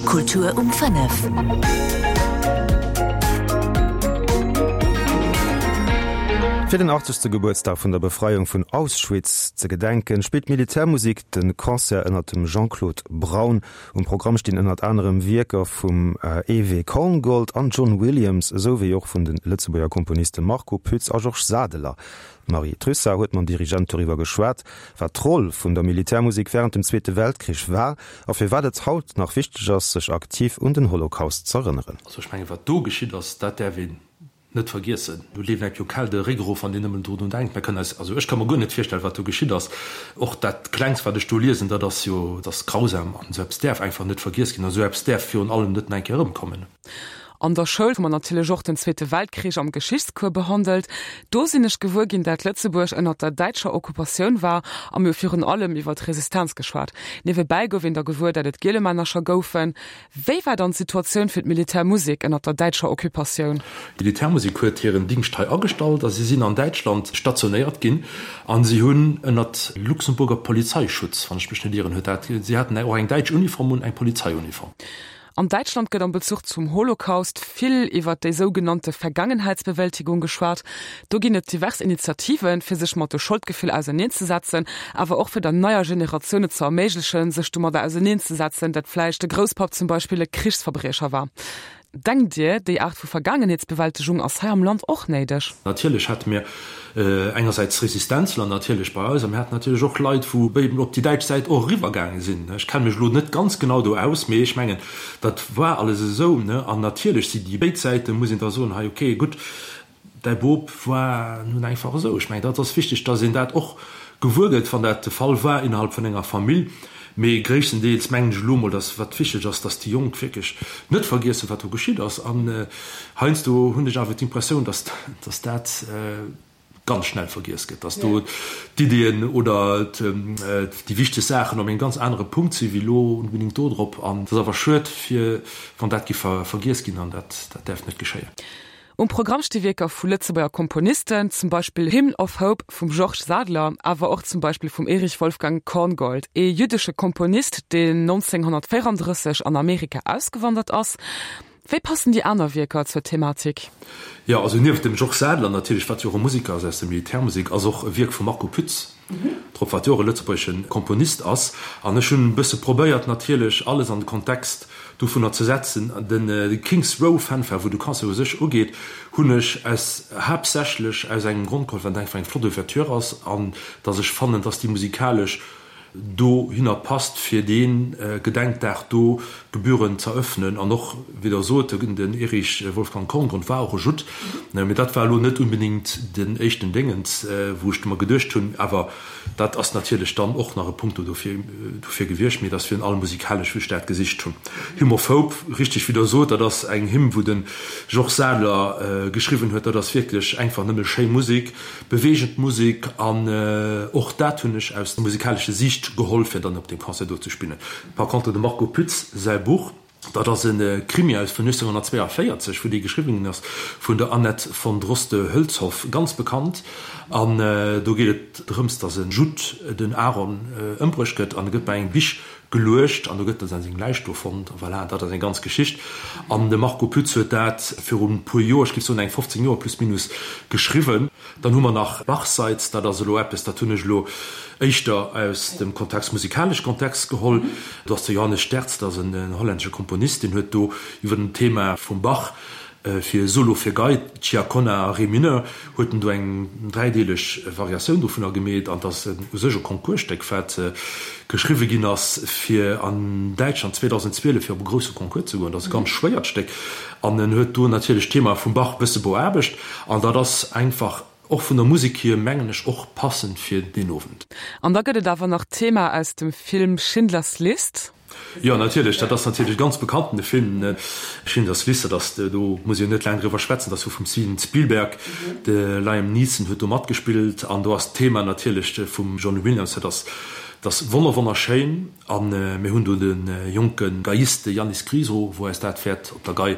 Kultur um 5. Fir den 80. Gebuertsdag vun der Befreiung vun Auschwitz ze gedenken, spillt d'Militärmusik de Concert ënnert dem Jean-Claude Braun. Um Programm stinn ënnert anerem Wierker vum EW Korngold an John Williams, esou wéi och vun de Lëtzebuerger Komponiste Marco Pütz a Georges Sadeler. D'Marie Trussart huet mam Dirigent doriwwer geschwat, wat d'Roll vun der Militärmusek wärend dem Zweete Weltkrich war a firwat et haut nach wichteg ass, sech aktiv un den Holocaust z'erënneren. Also ech mengen, wat do geschitt ass, dat däerf een net vergiessen. Do leeft engem jo kal de Réck erof, wann een nëmmen drun denkt. Mer kënnen eis, also ech ka mer guer net virstellen, wat do geschitt ass. Och dat Klengst, wat ech do liesen, dat ass jo, dat ass grausam an esou eppes däerf einfach net vergiess ginn an esou eppes däerf virun allem net nach eng Kéier erëmkommen. An der Schoul hu mer natierlech och den Zweete Weltkrich am Geschichtscours behandelt. Do sinn ech gewuer ginn, dat Lëtzebuerg ënnert der däitscher Okkupatioun war a mir hu virun allem iwwer d'Resistenz geschwat. Niewebäi gouf een da gewuer, dat et Gielemännercher goufen. Wéi war dann d'Situatioun fir d'Militärmusek ënnert der däitscher Okkupatioun? D'Militärmusek huet hiren Dingscht hei agestallt a si sinn an Däitschland stationéiert ginn a si hunn ënnert Luxemburger Polizeischutz, wann ech mech net ieren, huet dat, si haten och eng däitsch Uniform un, eng Polizeiuniform. An Däitschland gëtt am Bezuch zum Holocaust vill iwwer déi sougenannte Vergangenheitsbewältigung geschwat. Do ginn et divers Initiativen, fir sech mat de Scholdgefill auserneenzesetzen, awer och fir der neier Generatioun et ze erméiglechen, sech domadder auserneenzesetzen, dat vläicht de Grousspapp zum Beispill e Krichsverbriecher war. Denkt Dir, déi Aart vu Vergaangenheetsbewältegung ass hei am Land och néideg? Natierlech hate mir engersäits Resistenzler natierlech bei eis a mir haten natierlech och Leit, wou eben op déi däitsch Säit och eriwwer gaange sinn. Ech kenne mech elo net ganz genau do aus, mee ech mengen, dat war alles esou. An natierlech si déi béid Säite, muss een da soen, hei okay, gutt, däi Bop war nun einfach esou. Ech mengen, dat ass wichteg, datt een dat och gewuer gëtt, wann dat de Fall war innerhalb vun enger Famill. Mee gréisstendeels mengen ech elo mol, datt wat wichteg ass, datt déi Jonk wierklech net vergiessen, wat do geschitt ass. An heiansdo hunn ech awer d'Impressioun, datt datt dat ganz schnell vergiess gëtt, datt do d'Iddien oder déi wichteg Saachen op engem ganz anere Punkt si wéi elo onbedéngt do drop. An et ass awer schued, fir wann dat géif vergiess ginn, an dat dat däerf net geschéien. Um Programm sti Wierker vu Lëtzebuerger Komponisten, zum Beispill Hymn of Hope vum Georges Sadeler, awer och zum Beispill vum Erich Wolfgang Korngold, ee jüddesche Komponist, deen 1934 an Amerika ausgewandert ass. Wéi passen déi aner Wierker zur Thematik? Jo, also nieft dem Georges Sadeler natierlech, wat jo och e Museker ass aus der Militärmusek, ass och e Wierk vum Marco Pütz drop, wat jo och e lëtzebuergesche Komponist ass. An ech hunn e bësse probéiert natierlech alles an de Kontext dovunner ze setzen. De King's Row Fanfare, wou de Concert u sech ugeet, hunn ech aus haaptsächlech aus engem Grond geholl, well et einfach eng flott Ouverture ass an datt ech fannen, datt déi musikalesch dohinner passt, fir dee Gedenkdag do gebührend z'eröffnen. An och, wéi Der sot, den Erich Wolfgang Korngrund war och e Judd, mee dat war elo net unbedingt den éischten Déngens, wou ech mer geduecht hunn. Awer dat ass natierlech dann och nach e Punkt do dofir gewiescht, mee et ass virun allem musikalesch, wou ech dat gesicht hunn. Hymn of Hope, richteg, wéi Der sot, dat ass eng Hymn, wou de Georges Sadeler geschriwwen huet. Dat ass wierklech einfach nëmme schéi Musek. Beweegend Musek an och dat hunn ech aus musikalesche Siicht geholl fir dann op deem Concert do ze spillen. Par contre dem Marco Pütz säi Buch, dat ass e Krimi aus vun 1942, wou dee geschriwwen ginn ass vun der Annette von Droste-Hülshoff, ganz bekannt an do geet et drëms, datt e Judd, den Aaron, ëmbruecht gëtt an e gëtt bei engem Bich geluecht an do gëtt dann seng Läich do fonnt a voilà, dat ass eng ganz Geschicht. An de Marco Pütz huet dat virun e puer Joer, ech géif soen eng 15 Joer plus minus, geschriwwen. Dann hu mer nach Bachseits, dat ass elo eppes, dat hunn ech elo éischter aus dem Kontext, musikalesch Kontext geholl. Do ass de Johannes Sterz, dat ass en hollännesche Komponist, deen huet do iwwer den Thema vum Bach Fir Solo fir Gei, Ciaccona a Ré mineur huet en do eng dräideeleg Variatioun dovunner gemeet an 't ass u sech e Concoursstéck, wat geschriwwe ginn ass fir an Däitschland 2012 fir op e grousse Concours ze goen. Dat ass e ganz schwéiert Stéck an en huet do natierlech d'Thema vum Bach e bësse beaarbecht an dat ass einfach och vun der Musek hier mengen ech och passend fir deen Owend. An da gëtt et awer nach d'Thema aus dem Film Schindlers List. Jo, natierlech, dat ass natierlech e ganz bekannten Film, Schindlers List, dat ass, do muss ee jo net laang driwwer schwätzen, dat ass jo vum Steven Spielberg, de Liam Neeson huet do matgespillt an do ass d'Thema natierlech vum John Williams, dat ass, dat ass wonner wonnerschéin a mir hunn do de jonke Geiist, de Yannis Griso, wou eis dat wäert op der Gei.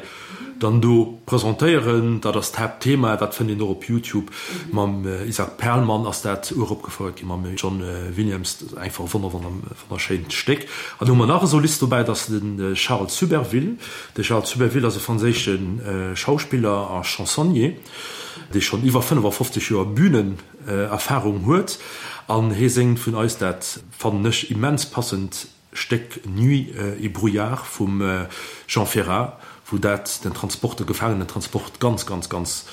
Dann do presentéieren. Dat ass d'Haaptthema. Dat fënnt een och op Youtube. Mam Isaac Perlman ass dat uropgefouert ginn, mam John Williams. Dat ass einfach e wonner, wonner, wonnerschéint Stéck. An do hu mer nach e Solist dobäi, dat ass de Charles Suberville. De Charles Suberville ass e franséische Schauspiller a Chansonnier, dee schonn iwwer 55 Joer Bünenerfarung huet. An hie séngt vun eis dat, fannen ech, immens passend Stéck Nuit et brouillard vum Jean Ferrat, wou dat den Transport, de Gefaangenentransport ganz, ganz, ganz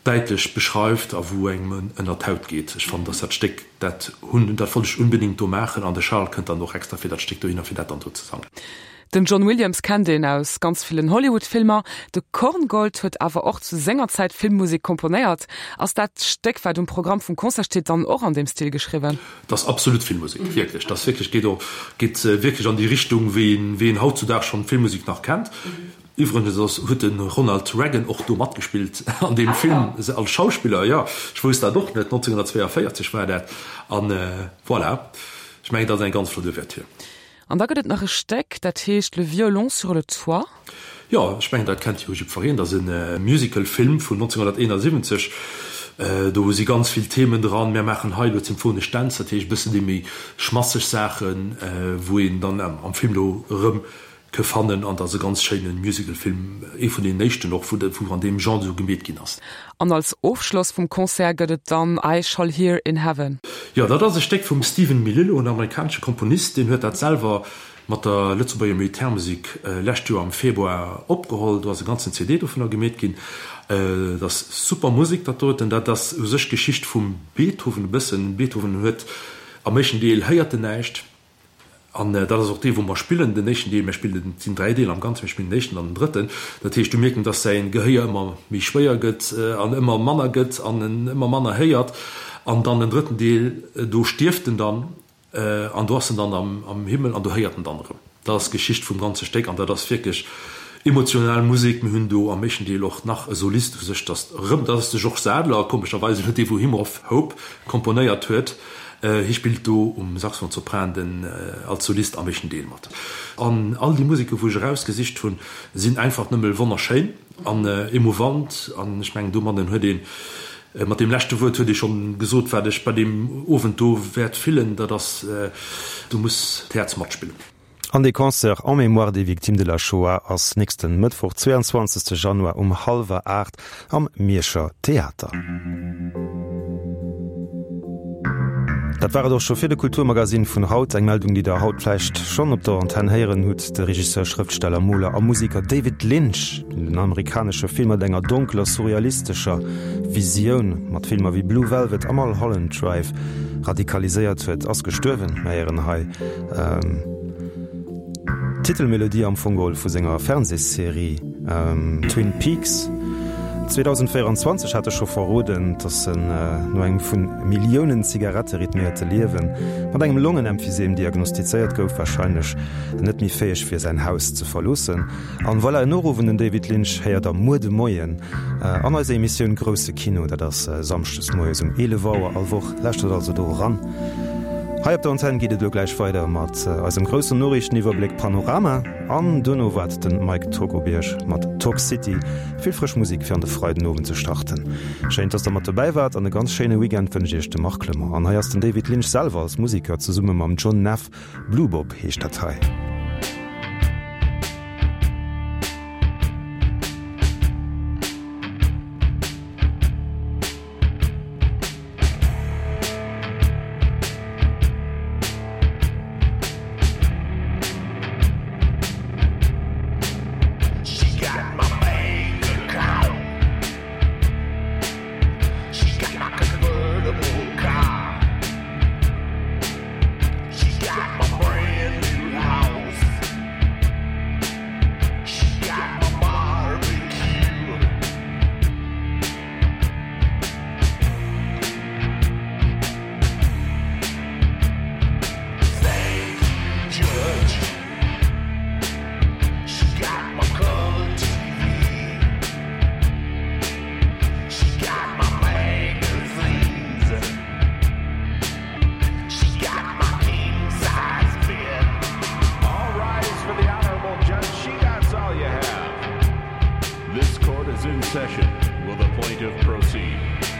däitlech beschreift a wou engem ënner d'Haut geet. Ech fannen, dass dat Stéck, dat hunn, dat wollt ech unbedingt do maachen an de Charles kënnt dann och extra fir dat Stéck dohinner, fir dat dann do ze sangen. Den John Williams kennt een aus ganz villen Hollywood-Filmer. De Korngold huet awer och zu senger Zäit Filmmusek komponéiert. Ass dat Stéck, wat um Programm vum Concert steet, dann och an deem Stil geschriwwen? Dat ass absolut Filmmusek, wierklech. Dat ass wierklech, geet och, geet wierklech an déi Richtung, wéi een, wéi een hautzudags schonn Filmmusek nach kennt. Iwwregens ass, huet de Ronald Reagan och do matgespillt an deem Film als Schauspiller, jo. Ech wousst dat och net, 1942 war dat. An voilà, ech mengen, dat ass eng ganz flott Ouverture. An da gëtt et nach e Stéck, dat heescht Le violon sur le toit. Jo, ech mengen, dat kennt jo jiddwereen. Dat ass e Musical-Film vun 1971. Do si ganz vill Themen dran. Mär maachen hei elo d'symphonesch Dänz, dat heescht e bëssen déi méi schmasseg Saachen, wou een dann am Film do erëm ke fannen. An dat ass e ganz schéine Musical-Film, ee vun deenen éischten och, wou an deem Genre esou gemeet ginn ass. An als Ofschloss vum Concert gëtt et dann I Shall Hear in Heaven. Jo, dat ass e Stéck vum Stephen Melillo, en amerikanesche Komponist. Deen huet dat selwer mat der Lëtzebuerger Militärmusek lescht Joer am Februar opgeholl. Do ass e ganzen CD dovunner gemeet ginn. Dat ass super Musek, dat doten. Dat ass u sech d'Geschicht vum Beethoven e bëssen. Beethoven huet am éischten Deel héiert en näischt. An dat ass och dee wou mer spillen, den éischten Deel. Mir spillen, et sinn 3 Deeler am Ganzen, mir spillen den éischten an den drëtten. Dat heescht, du mierken, dass säin Gehéier ëmmer méi schwéier gëtt an ëmmer manner gëtt an en ëmmer manner héiert. An dann den drëtten Deel, do stierft en dann an do ass en dann am Himmel an do héiert en dann erëm. Dat ass d'Geschicht vum ganze Stéck an dat ass wierklech emotional Musek. Mir hunn do am éischten Deel och nach e Solist u sech, dat erëm, dat ass de Georges Sadler, komescherweis elo dee wou Hymn of Hope komponéiert huet. Hie spillt do um Saxophon Sopran den als Solist am éischten Deel mat. An all déi Museke wou ech erausgesicht hunn, sinn einfach nëmme wonnerschéin an emouvant. An ech mengen domatten huet een, mat deem leschte Wuert huet ee schonn gesot wat ech bei deem Owend do wäert fillen, dat ass, do muss d'Häerz matspillen. An dee Concert En mémoire des victimes de la Shoah ass nächsten Mëttwoch, 22 Januar um hallwer 8 am Mierscher Theater. Dat war et och scho fir de Kulturmagazin vun haut. Eng Meldung, déi der haut vläicht schonn op der Antenn héieren hutt, De Regisseur, Schrëftsteller, Moler a Museker David Lynch, deen den amerikanesche Film mat enger donkeler, surrealistescher Visioun mat Filmer wéi Blue Velvet a Mulholland Drive radikaliséiert huet, ass gestuerwen. Mir héieren hei D'Titelmelodie am Fong geholl vu senger Fernsehsserie Twin Peaks. 2024 hat e scho verroden, datt en no engem vu Milliounen Zigarette rythméierte Liewe mat engem Longenemphysem diagnostizéiert gouf, warscheinlech net méi fäeg wier säin Haus ze verloossen. An voilà, en Noruff un den David Lynch héiert der muer de Moien an eiser Emissioun Grousse Kino. Dat ass samschdes moies um 11 Auer all Woch. Lauschtert also do eran. Hei op der Antenn geet et elo gläich weider mat eisem groussen Noriichteniwwerbléck Panorama an duerno waart de Mike Togobierg mat Talk City. Vill frësch Musek fir an de Freidenowend ze starten. Schéin, dass der mat dobäi waart an e ganz schéine Weekend wënscht iech de Marc Clement. An hei ass den David Lynch selwer als Musiker zesumme mam John Neff. Blue Bob heescht dat hei. She got my brand new house. session, will the plaintiff proceed?